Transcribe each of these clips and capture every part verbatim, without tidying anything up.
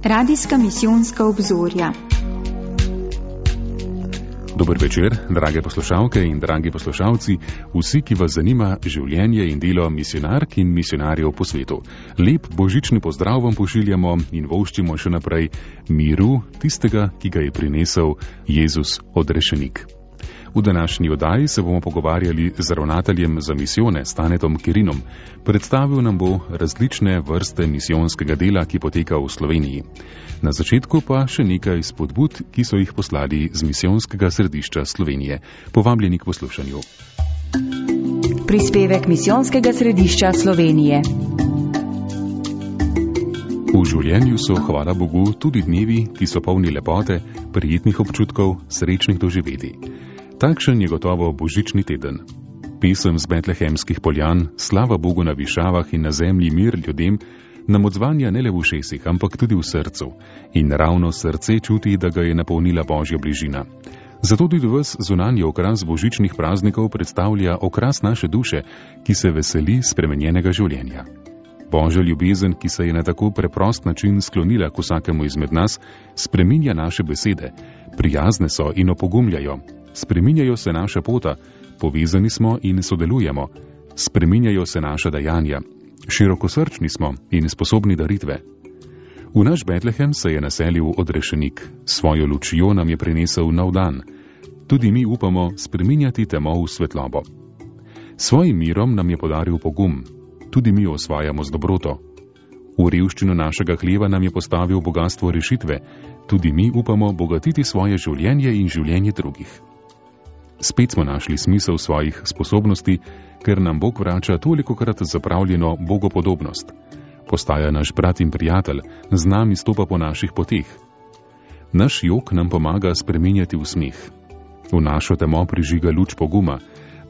Radijska misijonska obzorja. Dober večer, drage poslušalke in dragi poslušalci, vsi, ki vas zanima življenje in delo misijonark in misijonarjev po svetu. Lep božični pozdrav vam pošiljamo in voščimo še naprej miru tistega, ki ga je prinesel Jezus odrešenik. V današnji oddaji se bomo pogovarjali z ravnateljem za misijone Stanetom Kerinom. Predstavil nam bo različne vrste misijonskega dela, ki poteka v Sloveniji. Na začetku pa še nekaj spodbud, ki so jih poslali z misijonskega središča Slovenije. Povabljeni k poslušanju. Prispevek misijonskega središča Slovenije. V življenju so, hvala Bogu, tudi dnevi, ki so polni lepote, prijetnih občutkov, srečnih doživetij. Takšen je gotovo božični teden. Pesem z betlehemskih poljan, slava Bogu na višavah in na zemlji mir ljudem, nam odzvanja ne le v ušesih, ampak tudi v srcu. In ravno srce čuti, da ga je napolnila Božja bližina. Zato tudi ves zunanji okras božičnih praznikov predstavlja okras naše duše, ki se veseli spremenjenega življenja. Božja ljubezen, ki se je na tako preprost način sklonila k vsakemu izmed nas, spreminja naše besede, prijazne so in opogumljajo. Spreminjajo se naša pota, povezani smo in sodelujemo. Spreminjajo se naša dejanja. Širokosrčni smo in sposobni daritve. V naš Betlehem se je naselil odrešenik. Svojo lučjo nam je prinesel nov dan. Tudi mi upamo spreminjati temo v svetlobo. Svojim mirom nam je podaril pogum. Tudi mi osvajamo z dobroto. V revščino našega hleva nam je postavil bogastvo rešitve. Tudi mi upamo bogatiti svoje življenje in življenje drugih. Spet smo našli smisel svojih sposobnosti, ker nam Bog vrača tolikokrat zapravljeno bogopodobnost. Postaja naš brat in prijatelj, z nami stopa po naših poteh. Naš jok nam pomaga spreminjati v smeh. V našo temo prižiga luč poguma,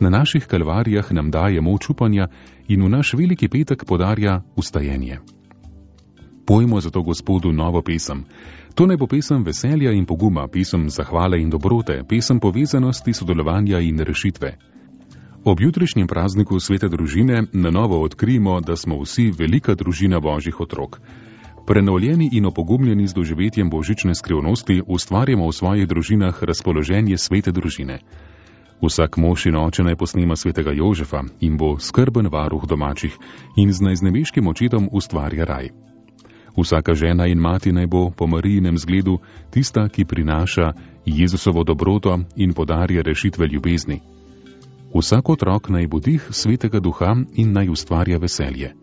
na naših kalvarijah nam daje moč upanja in v naš veliki petek podarja vstajenje. Pojmo zato Gospodu novo pesem. To naj bo pesem veselja in poguma, pesem zahvale in dobrote, pesem povezanosti, sodelovanja in rešitve. Ob jutrišnjem prazniku svete družine na novo odkrijemo, da smo vsi velika družina Božjih otrok. Prenovljeni in opogumljeni z doživetjem božične skrivnosti ustvarjamo v svojih družinah razpoloženje svete družine. Vsak mož in oče naj posnema svetega Jožefa in bo skrben varuh domačih in z najznebeškim očetom ustvarja raj. Vsaka žena in mati naj bo po Marijinem zgledu tista, ki prinaša Jezusovo dobroto in podarja rešitve ljubezni. Vsak otrok naj bo dih svetega duha in naj ustvarja veselje.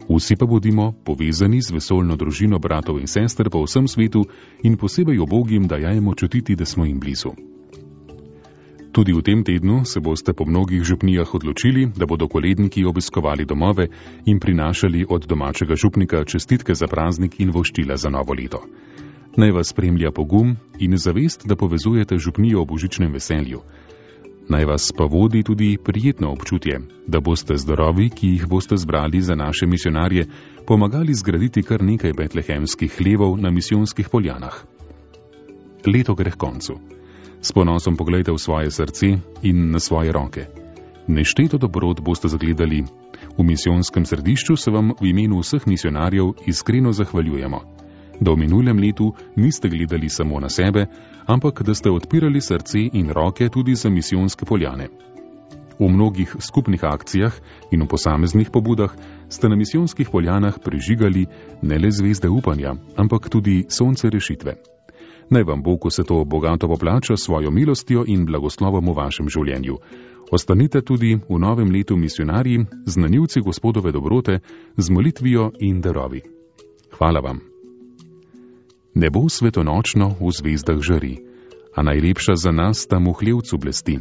Vsi pa bodimo povezani z vesoljno družino bratov in sester po vsem svetu in posebej ubogim dajajmo čutiti, da smo jim blizu. Tudi v tem tednu se boste po mnogih župnijah odločili, da bodo koledniki obiskovali domove in prinašali od domačega župnika čestitke za praznik in voščila za novo leto. Naj vas spremlja pogum in zavest, da povezujete župnijo v božičnem veselju. Naj vas pa vodi tudi prijetno občutje, da boste zdravi, ki jih boste zbrali za naše misijonarje, pomagali zgraditi kar nekaj betlehemskih hlevov na misijonskih poljanah. Leto gre h koncu. S ponosom pogledajte v svoje srce in na svoje roke. Nešteto dobrot boste zagledali. V misijonskem središču se vam v imenu vseh misijonarjev iskreno zahvaljujemo, da v minulem letu niste gledali samo na sebe, ampak da ste odpirali srce in roke tudi za misijonske poljane. V mnogih skupnih akcijah in v posameznih pobudah ste na misijonskih poljanah prižigali ne le zvezde upanja, ampak tudi sonce rešitve. Naj vam Bog vse to bogato poplača svojo milostjo in blagoslovom v vašem življenju. Ostanite tudi v novem letu misijonarji, znanilci Gospodove dobrote, z molitvijo in darovi. Hvala vam. Nebo svetonočno v zvezdah žari, a najlepša za nas tam v hlevcu blesti.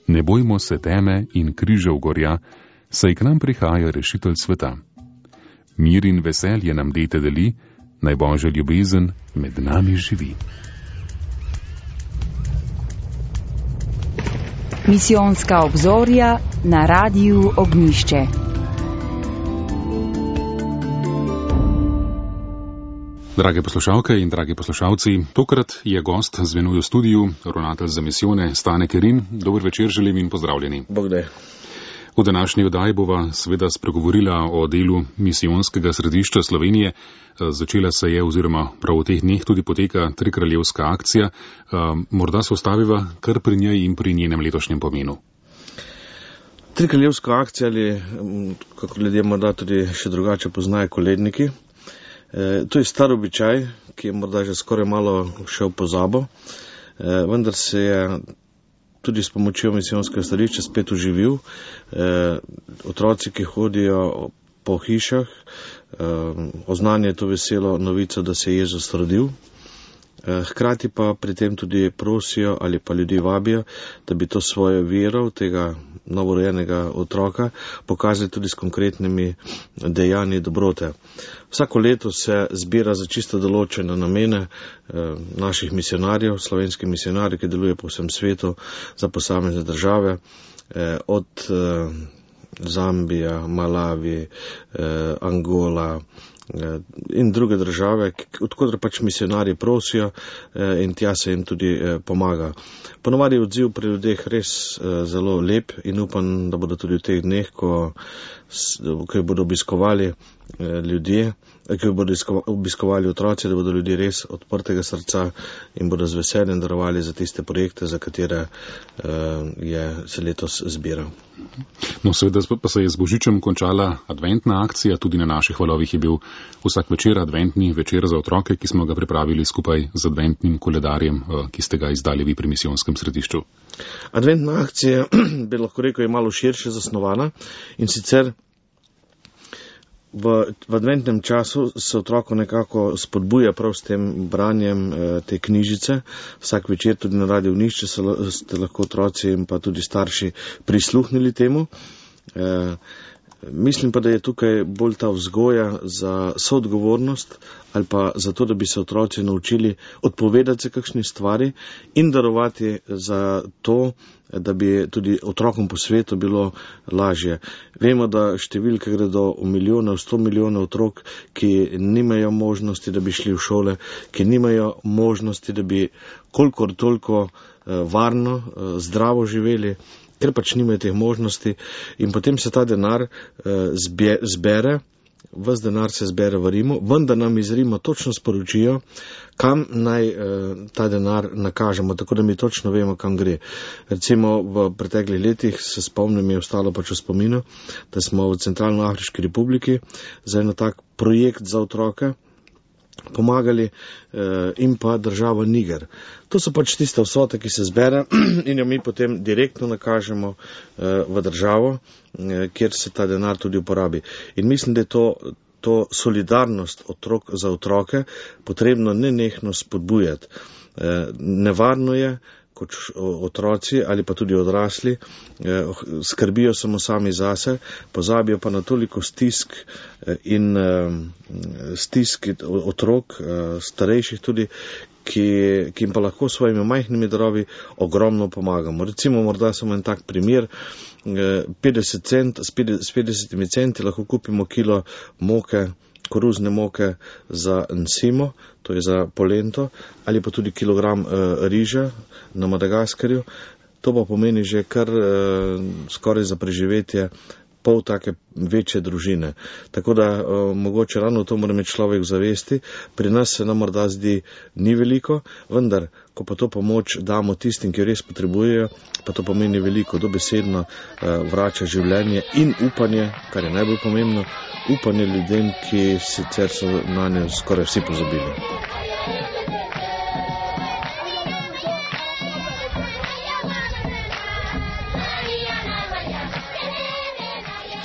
Ne bojmo se teme in križev gorja, saj k nam prihaja rešitelj sveta. Mir in veselje nam dete deli, naj Božja ljubezen med nami živi. Misijonska obzorja na Radiju Ognjišče. Drage poslušalke in dragi poslušalci, tokrat je gost z menoj v studiu, ravnatelj za misijone Stane Kerin. Dober večer želim in pozdravljeni. Bog daj. V današnji oddaji bova seveda spregovorila o delu misijonskega središča Slovenije. Začela se je oziroma prav v teh dneh tudi poteka trikraljevska akcija. Morda se ostaviva kar pri njej in pri njenem letošnjem pomenu. Trikraljevska akcija ali, kako ljudje morda tudi še drugače poznajo, koledniki. To je star običaj, ki je morda že skoraj malo šel po pozabo, vendar se je tudi s pomočjo misijonskega središča spet oživil. Otroci, ki hodijo po hišah, oznanjajo to veselo novico, da se je Jezus rodil. Hkrati pa pri tem tudi prosijo ali pa ljudi vabijo, da bi to svojo vero tega novorojenega otroka pokazali tudi s konkretnimi dejanji dobrote. Vsako leto se zbira za čisto določene namene naših misionarjev, slovenskih misionarjev, ki delujejo po vsem svetu za posamezne države, od Zambija, Malavi, Angola in druge države, odkudar pač misionarji prosijo in tja se jim tudi pomaga. Ponovadi je odziv pri ljudeh res zelo lep in upam, da bodo tudi v teh dneh, ko, ko bodo obiskovali ljudje, ki bodo obiskovali otroci, da bodo ljudje res odprtega srca in bodo z veseljem darovali za tiste projekte, za katere je se letos zbiral. No, seveda pa se je z Božičem končala adventna akcija, tudi na naših valovih je bil vsak večer adventni večer za otroke, ki smo ga pripravili skupaj z adventnim koledarjem, ki ste ga izdali vi pri misijonskem središču. Adventna akcija, bi lahko rekel, je malo širše zasnovana in sicer V, v adventnem času se otroko nekako spodbuja prav s tem branjem eh, te knjižice. Vsak večer tudi na Radiu Ognjišče ste lahko otroci in pa tudi starši prisluhnili temu. Eh, mislim pa, da je tukaj bolj ta vzgoja za soodgovornost ali pa za to, da bi se otroci naučili odpovedati se kakšni stvari in darovati za to, da bi tudi otrokom po svetu bilo lažje. Vemo, da številke gredo v milijone, v sto milijonov otrok, ki nimajo možnosti, da bi šli v šole, ki nimajo možnosti, da bi kolikor toliko varno, zdravo živeli, ker pač nimajo teh možnosti in potem se ta denar zbere, ves denar se zbere v Rimu, vendar nam iz Rima točno sporočijo, kam naj ta denar nakažemo, tako da mi točno vemo, kam gre. Recimo v preteklih letih se spomnim, je ostalo pač v spominu, da smo v Centralnoafriški republiki za eno tak projekt za otroke pomagali in pa država Niger. To so pač tiste vsote, ki se zbere in jo mi potem direktno nakažemo v državo, kjer se ta denar tudi uporabi. In mislim, da je to, to solidarnost otrok za otroke potrebno nenehno spodbujati. Nevarno je, kot otroci ali pa tudi odrasli, skrbijo samo sami zase, pozabijo pa na toliko stisk in stisk otrok, starejših tudi, ki, ki jim pa lahko s svojimi majhnimi darovi ogromno pomagamo. Recimo morda samo en tak primer, petdeset cent, s petdesetimi centi lahko kupimo kilo moke, koruzne moke za nsimo, to je za polento, ali pa tudi kilogram e, riža na Madagaskarju. To pa pomeni že kar e, skoraj za preživetje pol take večje družine. Tako da e, mogoče ravno to mora imeti človek v zavesti. Pri nas se nam morda zdi ni veliko, vendar, ko pa to pomoč damo tistim, ki jo res potrebujejo, pa to pomeni veliko, dobesedno e, vrača življenje in upanje, kar je najbolj pomembno, upanje ljudem, ki sicer so na njo skoraj vsi pozabili.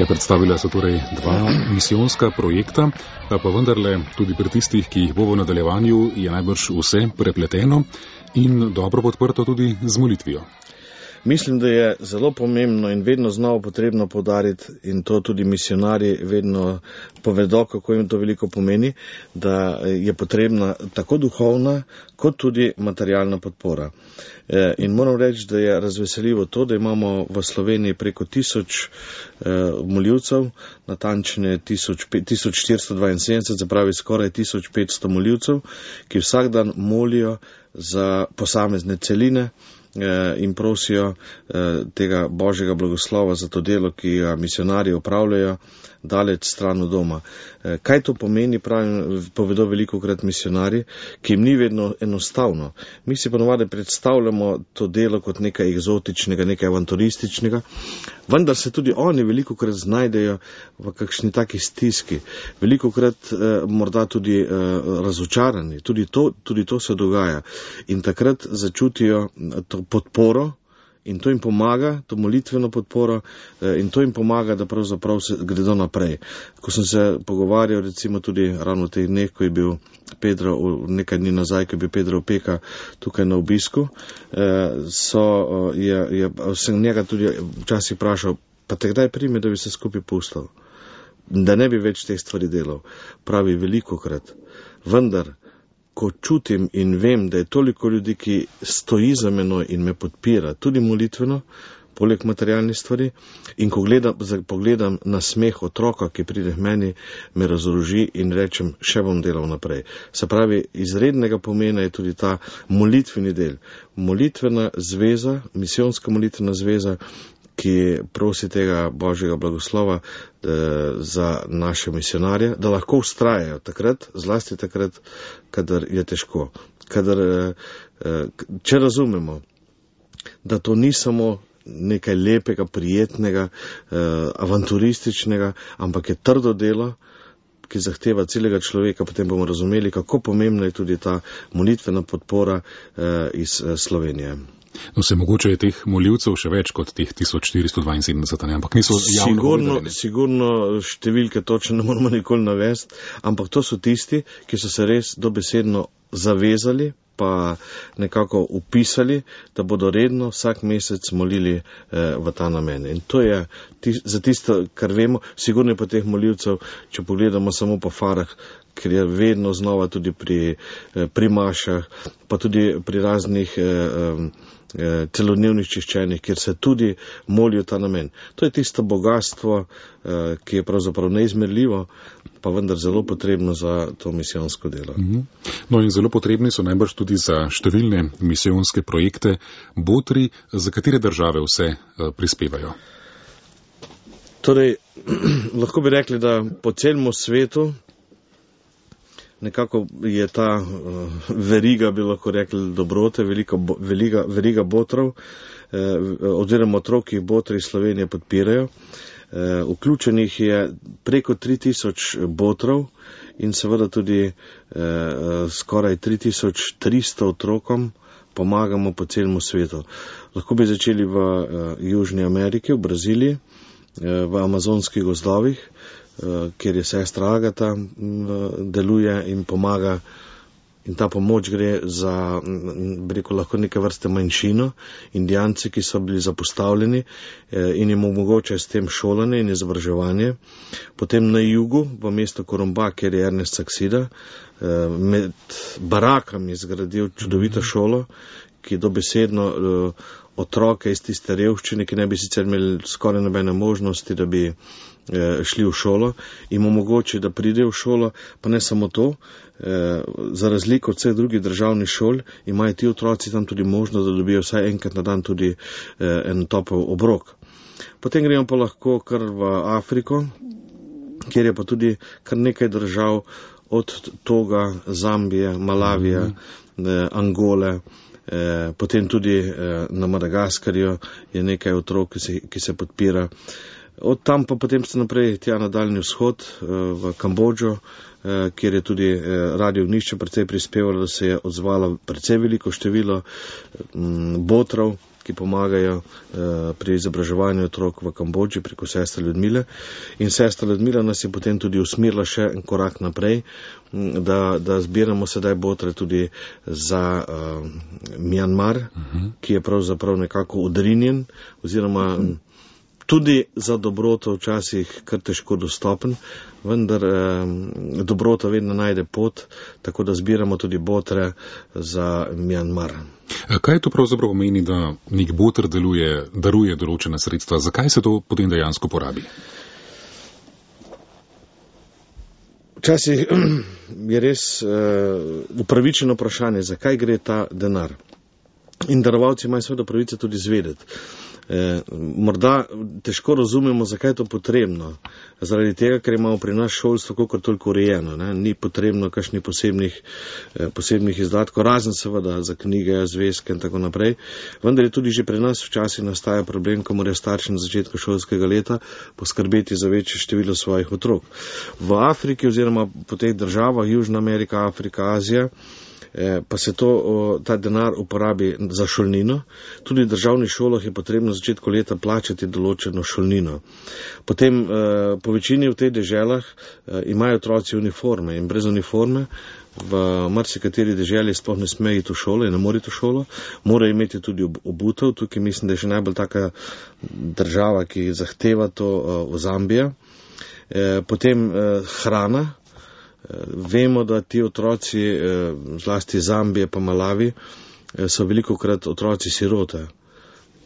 Ja, predstavila so torej dva misijonska projekta, pa vendarle tudi pri tistih, ki jih bo v nadaljevanju, je najbrž vse prepleteno in dobro podprto tudi z molitvijo. Mislim, da je zelo pomembno in vedno znova potrebno poudariti, in to tudi misionarji vedno povedo, kako jim to veliko pomeni, da je potrebna tako duhovna kot tudi materialna podpora. In moram reči, da je razveseljivo to, da imamo v Sloveniji preko tisoč moljivcev, natančne tisoč štiristo dvainsedemdeset, se pravi skoraj tisoč petsto moljivcev, ki vsak dan molijo za posamezne celine, in prosijo tega Božjega blagoslova za to delo, ki ga misionarji opravljajo daleč stran od doma. Kaj to pomeni, pravim, povedo velikokrat misionarji, ki jim ni vedno enostavno. Mi si ponovadi predstavljamo to delo kot nekaj egzotičnega, nekaj avanturističnega, vendar se tudi oni velikokrat znajdejo v kakšni taki stiski, velikokrat eh, morda tudi eh, razočarani, tudi to, tudi to se dogaja in takrat začutijo to podporo in to jim pomaga, to molitveno podporo eh, in to jim pomaga, da pravzaprav se gredo naprej. Ko sem se pogovarjal recimo tudi ravno v teh dneh, ko je bil Pedro, nekaj dni nazaj, ko je bil Pedro Opeka tukaj na obisku, eh, so, je, je, sem njega tudi včasih vprašal, pa te kdaj prime, da bi se skupaj pustil, da ne bi več teh stvari delal. Pravi velikokrat. Vendar, ko čutim in vem, da je toliko ljudi, ki stoji za menoj in me podpira, tudi molitveno, poleg materialnih stvari, in ko gledam, pogledam na smeh otroka, ki pride k meni, me razoroži in rečem, še bom delal naprej. Se pravi, izrednega pomena je tudi ta molitveni del. Molitvena zveza, misijonska molitvena zveza, ki prosi tega Božjega blagoslova eh, za naše misionarje, da lahko vztrajajo takrat, zlasti takrat, kadar je težko. Kadar, eh, če razumemo, da to ni samo nekaj lepega, prijetnega, eh, avanturističnega, ampak je trdo delo, ki zahteva celega človeka, potem bomo razumeli, kako pomembna je tudi ta molitvena podpora eh, iz eh, Slovenije. No, se mogoče je teh molivcev še več kot teh tisoč štiristo dvainsedemdeset, ampak niso javno sigurno, povedali. Sigurno številke točno ne moramo nikoli navesti, ampak to so tisti, ki so se res dobesedno zavezali, pa nekako upisali, da bodo redno vsak mesec molili eh, v ta namen. In to je tis, za tisto, kar vemo, sigurno je po teh molivcev, če pogledamo samo po farah, ker je vedno znova tudi pri, eh, pri mašah, pa tudi pri raznih eh, eh, celodnevnih čiščenjih, kjer se tudi molijo ta namen. To je tisto bogatstvo, eh, ki je pravzaprav neizmerljivo, pa vendar zelo potrebno za to misijonsko delo. No in zelo potrebni so najbrž tudi za številne misijonske projekte botri, za katere države vse prispevajo. Torej, lahko bi rekli, da po celem svetu nekako je ta uh, veriga, bi lahko rekli, dobrote, velika, velika, veriga botrov, eh, oziroma otrok, ki jih botri iz Slovenije podpirajo. Uh, vključenih je preko tri tisoč botrov in seveda tudi uh, skoraj tri tisoč tristo otrokom pomagamo po celem svetu. Lahko bi začeli v uh, Južni Ameriki, v Braziliji, uh, v amazonskih gozdovih, uh, kjer je sestra Agata uh, deluje in pomaga. In ta pomoč gre za, rekel, lahko neke vrste manjšino, Indijanci, ki so bili zapostavljeni eh, in jim omogočajo s tem šolanje in izobraževanje. Potem na jugu, v mestu Korumba, kjer je Ernest Saksida, eh, med barakami zgradil čudovito šolo, ki dobesedno eh, otroke iz tiste revščine, ki ne bi sicer imeli skoraj nobene možnosti, da bi eh, šli v šolo, jim omogoči, da pridejo v šolo, pa ne samo to, eh, za razliko od vseh drugih državnih šol, imajo ti otroci tam tudi možnost, da dobijo vsaj enkrat na dan tudi eh, en topel obrok. Potem gremo pa lahko kar v Afriko, kjer je pa tudi kar nekaj držav, od Toga, Zambije, Malavija, eh, Angole, Eh, potem tudi eh, na Madagaskarju je nekaj otrok, ki se, ki se podpira. Od tam pa potem se naprej tja na daljni vzhod, eh, v Kambodžo, eh, kjer je tudi eh, Radio Ognišče precej prispevalo, da se je odzvalo precej veliko število m, botrov, ki pomagajo eh, pri izobraževanju otrok v Kambodži preko sestre Ljudmile. In sestra Ljudmila nas je potem tudi usmerila še en korak naprej, da, da zbiramo sedaj botre tudi za uh, Mjanmar, uh-huh. ki je pravzaprav nekako odrinjen, oziroma uh-huh. tudi za dobroto včasih kar težko dostopen, vendar eh, dobrota vedno najde pot, tako da zbiramo tudi botre za Mjanmar. Kaj to pravzaprav pomeni, da nek botr deluje, daruje določena sredstva? Zakaj se to potem dejansko porabi? Včasih je res uh, upravičeno vprašanje, zakaj gre ta denar. in darovalci imajo seveda pravice tudi zvedeti. E, morda težko razumemo, zakaj je to potrebno. Zaradi tega, ker imamo pri nas šolstvo kakor toliko urejeno. Ne? Ni potrebno kakšnih posebnih, eh, posebnih izdatkov, razen seveda za knjige, zvezke in tako naprej. Vendar je tudi že pri nas včasih nastaja problem, ko morajo starši na začetku šolskega leta poskrbeti za večje število svojih otrok. V Afriki oziroma po teh državah, Južna Amerika, Afrika, Azija, pa se to, ta denar uporabi za šolnino. Tudi v državnih šolah je potrebno na začetku leta plačati določeno šolnino. Potem po večini v teh deželah imajo otroci uniforme in brez uniforme v marsikateri deželi sploh ne sme iti v šolo in ne more iti v šolo. Morajo imeti tudi obutev. Tukaj mislim, da je še najbolj taka država, ki zahteva to, v Zambija. Potem hrana. Vemo, da ti otroci, zlasti Zambije pa Malavi, so velikokrat otroci sirote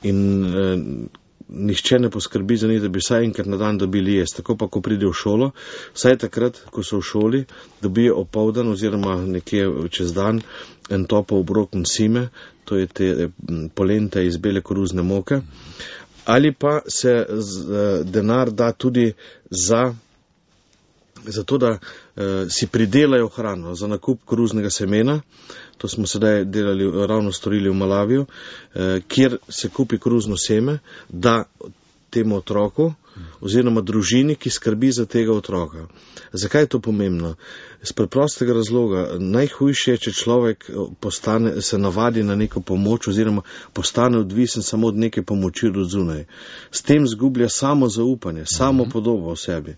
in nihče ne poskrbi za njih, da bi vsaj enkrat na dan dobili jesti. Tako pa, ko pride v šolo, vsaj takrat, ko so v šoli, dobijo opoldan oziroma nekje čez dan en topel obrok msime, to je te polente iz bele koruzne moke, ali pa se denar da tudi za zato, da uh, si pridelajo hrano za nakup koruznega semena. To smo sedaj delali, ravno storili v Malaviju, uh, kjer se kupi koruzno seme, da temu otroku oziroma družini, ki skrbi za tega otroka. Zakaj je to pomembno? Z preprostega razloga, najhujše je, če človek postane, se navadi na neko pomoč oziroma postane odvisen samo od neke pomoči od zunaj. S tem zgublja samo zaupanje, samo podobo v sebi.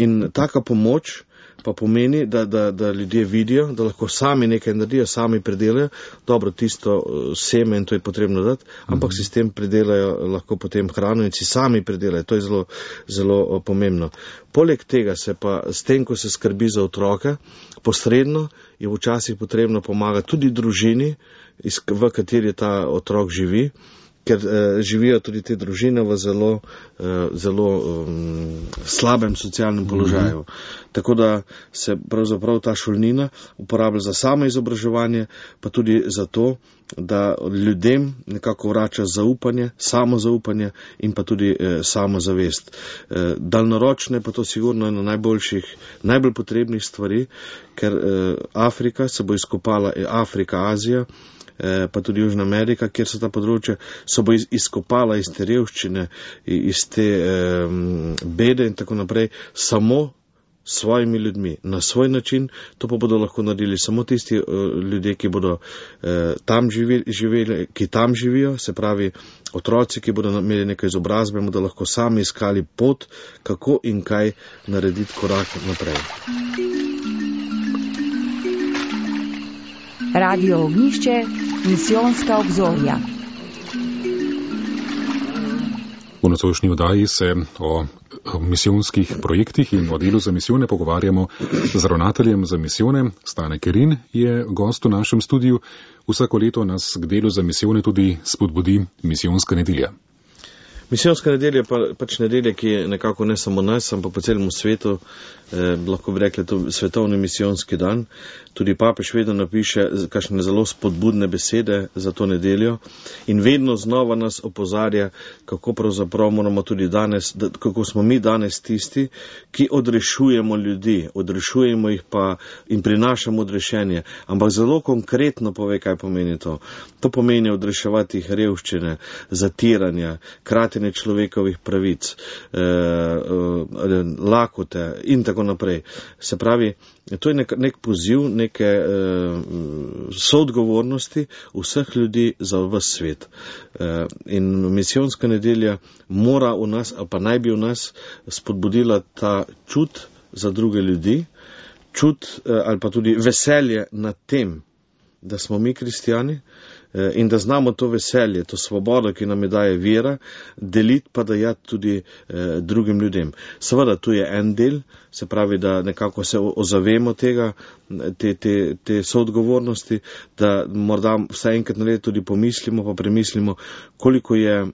In taka pomoč pa pomeni, da, da, da ljudje vidijo, da lahko sami nekaj naredijo, sami predelajo, dobro, tisto seme in to je potrebno dati, ampak si s tem predelajo lahko potem hrano in si sami predelajo, to je zelo, zelo pomembno. Poleg tega se pa s tem, ko se skrbi za otroke, posredno je včasih potrebno pomagati tudi družini, v kateri ta otrok živi, ker eh, živijo tudi te družine v zelo, eh, zelo um, slabem socialnem položaju. Mm-hmm. Tako da se pravzaprav ta šolnina uporablja za samo izobraževanje, pa tudi za to, da ljudem nekako vrača zaupanje, samozaupanje in pa tudi eh, samozavest. Eh, daljnoročne pa to sigurno ena najboljših, najbolj potrebnih stvari, ker eh, Afrika se bo izkopala, eh, Afrika, Azija, pa tudi Južna Amerika, kjer so ta področja, so bo izkopala iz te revščine, iz te um, bede in tako naprej, samo svojimi ljudmi, na svoj način. To pa bodo lahko naredili samo tisti uh, ljudje, ki bodo uh, tam živeli, živeli, ki tam živijo, se pravi otroci, ki bodo imeli nekaj izobrazbe, bodo lahko sami iskali pot, kako in kaj narediti korak naprej. Radio Ognjišče, misijonska obzorja. V nocojšnji oddaji se o misijonskih projektih in o delu za misijone pogovarjamo z ravnateljem za misijone. Stane Kerin je gost v našem studiu. Vsako leto nas k delu za misijone tudi spodbudi misijonska nedelja. Misijonska nedelja je pa, pač nedelja, ki je nekako ne samo nas, ampak po celem svetu, eh, lahko bi rekli, to svetovni misijonski dan. Tudi papež vedno napiše kakšne zelo spodbudne besede za to nedeljo in vedno znova nas opozarja, kako pravzaprav moramo tudi danes, da, kako smo mi danes tisti, ki odrešujemo ljudi, odrešujemo jih pa in prinašamo odrešenje. Ampak zelo konkretno pove, kaj pomeni to. To pomeni odreševati jih revščine, zatiranja, kratenje človekovih pravic, eh, eh, lakote in tako naprej. Se pravi, to je nek, nek poziv, neke eh, soodgovornosti vseh ljudi za ves svet. Eh, in misijonska nedelja mora v nas, ali pa naj bi v nas spodbudila ta čut za druge ljudi, čut eh, ali pa tudi veselje nad tem, da smo mi kristijani, in da znamo to veselje, to svobodo, ki nam je daje vera, deliti pa dajati tudi eh, drugim ljudem. Seveda, tu je en del, se pravi, da nekako se ozavemo tega, te, te, te soodgovornosti, da morda vsaj enkrat na leto tudi pomislimo, pa premislimo, koliko je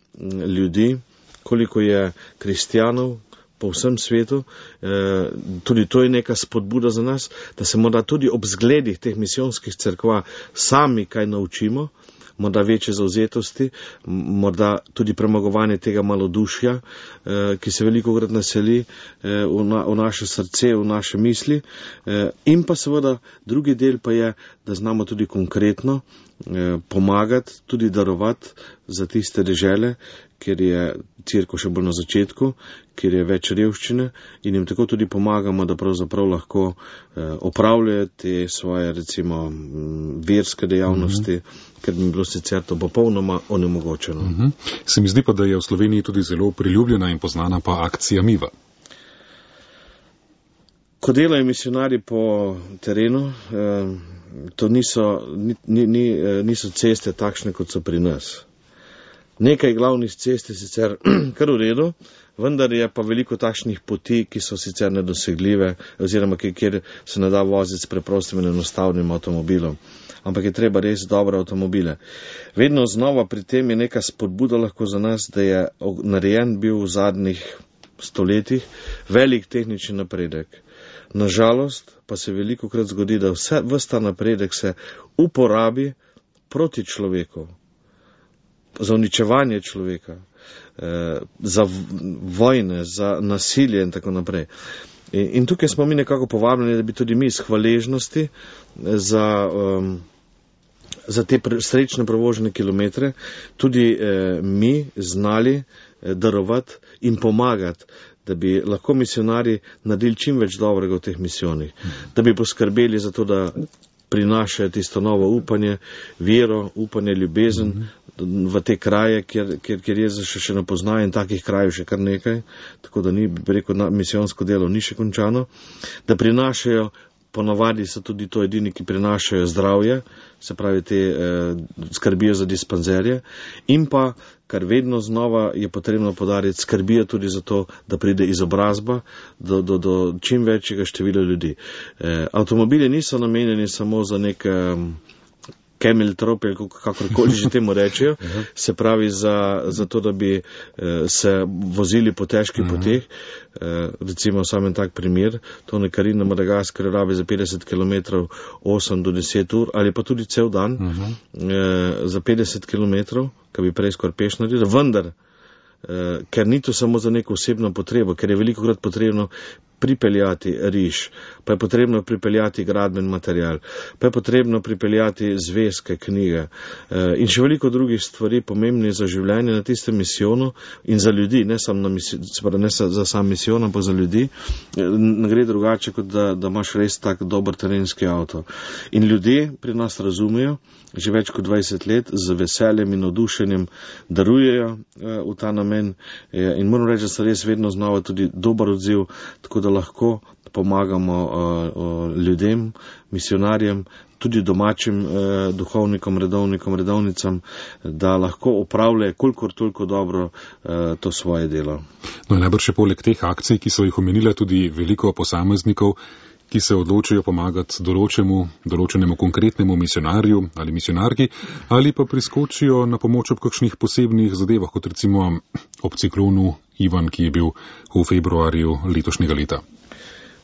ljudi, koliko je kristjanov po vsem svetu, eh, tudi to je neka spodbuda za nas, da se morda tudi ob zgledih teh misijonskih cerkva sami kaj naučimo, morda večje zauzetosti, morda tudi premagovanje tega malodušja, ki se velikokrat naseli v, na, v naše srce, v naše misli. In pa seveda drugi del pa je, da znamo tudi konkretno pomagati, tudi darovati za tiste dežele, kjer je cerkev še bolj na začetku, kjer je več revščine in jim tako tudi pomagamo, da pravzaprav lahko opravljajo te svoje, recimo, verske dejavnosti, mm-hmm. ker bi bilo sicer to popolnoma onemogočeno. Mm-hmm. Se mi zdi pa, da je v Sloveniji tudi zelo priljubljena in poznana pa akcija Miva. Ko delajo misionarji po terenu, to niso, ni, ni, niso ceste takšne, kot so pri nas. Nekaj glavnih cest je sicer kar v redu, vendar je pa veliko takšnih poti, ki so sicer nedosegljive, oziroma kjer se ne da voziti s preprostim in enostavnim avtomobilom. Ampak je treba res dobre avtomobile. Vedno znova pri tem je neka spodbuda lahko za nas, da je narejen bil v zadnjih stoletjih velik tehnični napredek. Nažalost pa se veliko krat zgodi, da vse, ves ta napredek se uporabi proti človeku, za uničevanje človeka, za vojne, za nasilje in tako naprej. In, in tukaj smo mi nekako povabljeni, da bi tudi mi iz hvaležnosti za, um, za te pre, srečne prevožene kilometre tudi eh, mi znali eh, darovati in pomagati, da bi lahko misionari naredili čim več dobrega v teh misijonih, da bi poskrbeli za to, da prinašajo tisto novo upanje, vero, upanje, ljubezen mm-hmm. v te kraje, kjer, kjer, kjer Jezus še, še ne poznajo in takih krajev še kar nekaj, tako da ni, bi rekel, misijonsko delo ni še končano, da prinašajo, ponavadi so tudi to edini, ki prinašajo zdravje, se pravi, te eh, skrbijo za dispanzerje in pa, kar vedno znova je potrebno podariti, skrbijo tudi za to, da pride izobrazba do, do, do čim večjega števila ljudi. Eh, avtomobili niso namenjeni samo za nek eh, camel trop, kakorkoli že temu rečejo, se pravi za, za to, da bi eh, se vozili po težkih poteh. Eh, recimo samem tak primer, to nekari na Madagaskarju rabi za petdeset kilometrov osem do deset ur, ali pa tudi cel dan uh-huh. eh, za petdeset kilometrov, kar bi prej skoraj peš naredil, vendar, eh, ker ni to samo za neko osebno potrebo, ker je velikokrat potrebno pripeljati riž, pa je potrebno pripeljati gradben material, pa je potrebno pripeljati zvezke, knjige in še veliko drugih stvari pomembnih za življenje na tistem misijonu in za ljudi, ne samo na misijon, ne za sam misijon, ampak za ljudi, ne gre drugače, kot da, da imaš res tak dober terenski avto. In ljudje pri nas razumejo, že več kot dvajset let, z veseljem in navdušenjem darujejo v ta namen in moram reči, da so res vedno znova tudi dober odziv, tako da lahko pomagamo uh, uh, ljudem, misionarjem, tudi domačim uh, duhovnikom, redovnikom, redovnicam, da lahko opravljajo kolikor toliko dobro uh, to svoje delo. No, najbrž je poleg teh akcij, ki so jih omenila, tudi veliko posameznikov, ki se odločijo pomagati določenemu, določenemu konkretnemu misionarju ali misionarki, ali pa priskočijo na pomoč ob kakšnih posebnih zadevah, kot recimo ob ciklonu Ivan, ki je bil v februarju letošnjega leta.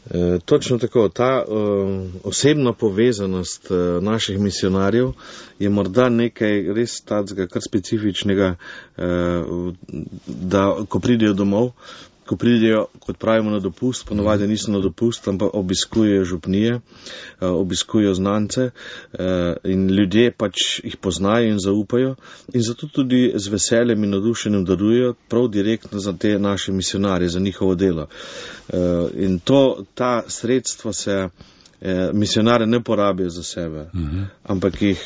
E, točno tako, ta uh, osebna povezanost uh, naših misionarjev je morda nekaj res tacga, kar specifičnega, uh, da ko pridejo domov, ko pridejo, kot pravimo, na dopust, ponovadi niso na dopust, ampak obiskujejo župnije, obiskujejo znance in ljudje pač jih poznajo in zaupajo in zato tudi z veseljem in navdušenjem darujejo prav direktno za te naše misionarje, za njihovo delo. In to, ta sredstva se misionare ne porabijo za sebe, uh-huh. ampak jih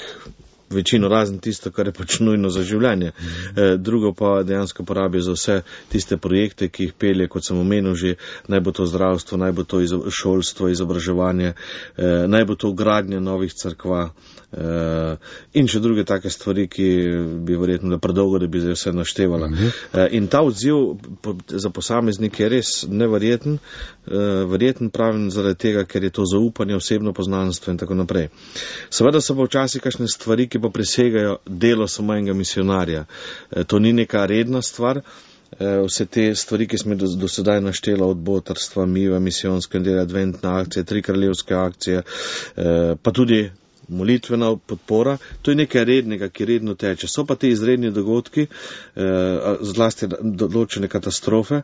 večino razen tisto, kar je pač nujno za življenje. E, drugo pa dejansko porabijo za vse tiste projekte, ki jih pelje, kot sem omenil že, naj bo to zdravstvo, naj bo to izo, šolstvo, izobraževanje, e, naj bo to gradnja novih cerkva e, in še druge take stvari, ki bi verjetno da predolgo, da bi vse naštevala. E, in ta odziv po, za posameznik je res neverjeten, e, verjeten pravim zaradi tega, ker je to zaupanje, osebno poznanstvo in tako naprej. Seveda so pa včasih kakšne stvari, ki pa presegajo delo samo enega misionarja. E, to ni neka redna stvar. E, vse te stvari, ki smo do, do sedaj naštela, od botrstva, Miva, misijonske dela, adventna akcija, tri kraljevske akcije, e, pa tudi molitvena podpora, to je nekaj rednega, ki redno teče. So pa te izredni dogodki, zlasti določene katastrofe,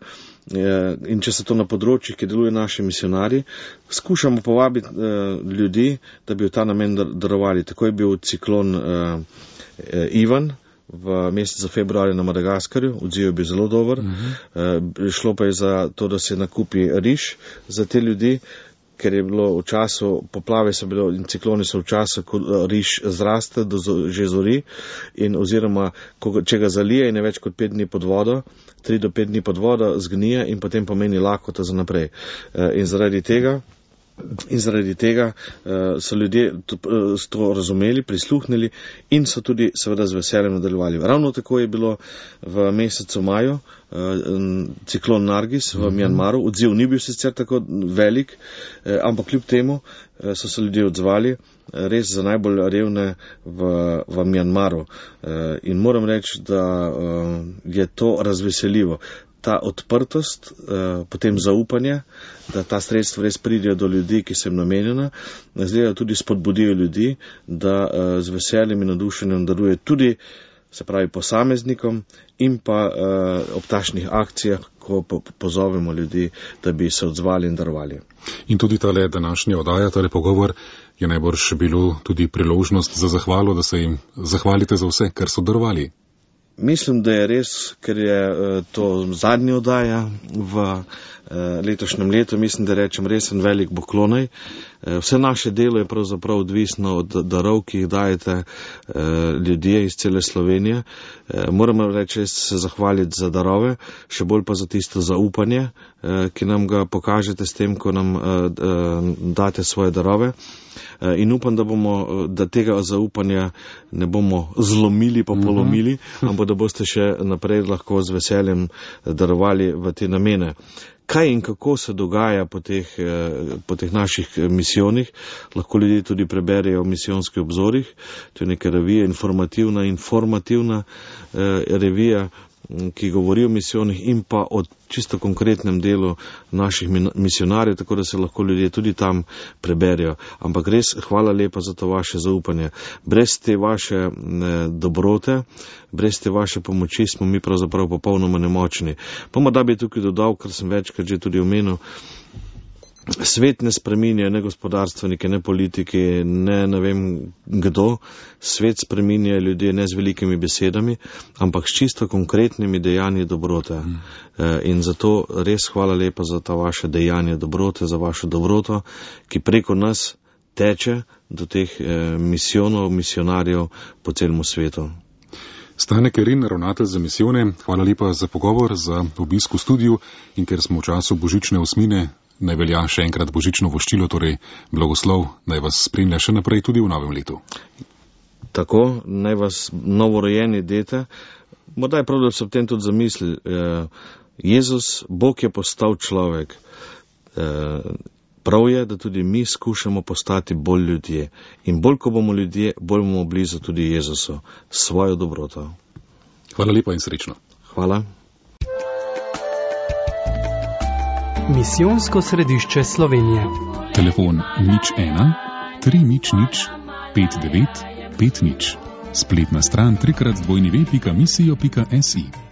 in če se to na področjih, ki deluje naši misionarji, skušamo povabiti ljudi, da bi v ta namen darovali. Tako je bil ciklon Ivan v mesecu februarja na Madagaskarju, odziv je bil zelo dober. Uh-huh. Šlo pa je za to, da se nakupi riž za te ljudi, ker je bilo v času, poplave so bilo in cikloni so v času, ko riž zraste, do že zori, in oziroma, ko, če ga zalije in je več kot pet dni pod vodo, tri do pet dni pod vodo, zgnije in potem pomeni lakota za naprej. In zaradi tega In zaradi tega uh, so ljudje to, uh, to razumeli, prisluhnili in so tudi seveda z veseljem nadaljevali. Ravno tako je bilo v mesecu maju uh, ciklon Nargis v Mjanmaru. Odziv ni bil sicer tako velik, uh, ampak kljub temu uh, so se ljudje odzvali, uh, res za najbolj revne v, v Mjanmaru. Uh, in moram reči, da uh, je to razveseljivo. Ta odprtost, potem zaupanje, da ta sredstva res pridejo do ljudi, ki so jim namenjena, zdaj tudi spodbudijo ljudi, da z veseljem in nadušenjem daruje tudi, se pravi, posameznikom in pa ob takšnih akcijah, ko pozovemo ljudi, da bi se odzvali in darovali. In tudi tale današnja oddaja, tale pogovor, je najbrž bilo tudi priložnost za zahvalo, da se jim zahvalite za vse, kar so darovali. Mislim, da je res, ker je to zadnja oddaja v letošnjem letu, mislim, da rečem res en velik poklonaj. Vse naše delo je pravzaprav odvisno od darov, ki jih dajete ljudje iz cele Slovenije. Moramo reči, res se zahvaliti za darove, še bolj pa za tisto zaupanje, ki nam ga pokažete s tem, ko nam date svoje darove. In upam, da bomo, da tega zaupanja ne bomo zlomili pa polomili, mm-hmm. ampak da boste še naprej lahko z veseljem darovali v te namene. Kaj in kako se dogaja po teh, po teh naših misijonih, lahko ljudje tudi preberejo v misijonskih obzorih. To je neka revija, informativna, informativna eh, revija, ki govori o misijonih in pa o čisto konkretnem delu naših misionarjev, tako da se lahko ljudje tudi tam preberijo. Ampak res hvala lepa za to vaše zaupanje. Brez te vaše ne, dobrote, brez te vaše pomoči smo mi pravzaprav popolnoma nemočni. Pa morda bi tukaj dodal, kar sem večkrat že tudi omenil, svet ne spreminja, ne gospodarstvenike, ne politiki, ne ne vem kdo. Svet spreminja ljudje ne z velikimi besedami, ampak s čisto konkretnimi dejanji dobrote. Mm. In zato res hvala lepa za ta vaše dejanje dobrote, za vašo dobroto, ki preko nas teče do teh misijonov, misionarjev po celem svetu. Stane Kerin, ravnatelj za misijone, hvala lepa za pogovor, za obisk v studiu in ker smo v času božične osmine, naj velja še enkrat božično voščilo, torej blagoslov, naj vas spremlja še naprej tudi v novem letu. Tako, naj vas novorojeni dete, morda je prav, da se ob tem tudi zamisli, Jezus, Bog je postal človek. Prav je, da tudi mi skušamo postati bolj ljudje. In bolj, ko bomo ljudje, bolj bomo blizu tudi Jezusu, svojo dobroto. Hvala lepa in srečno. Hvala. Misijonsko središče Slovenije. Telefon nič ena, tri nič nič, pet devet, pet nič. Spletna stran trikrat dvojni ve pika misijo pika si.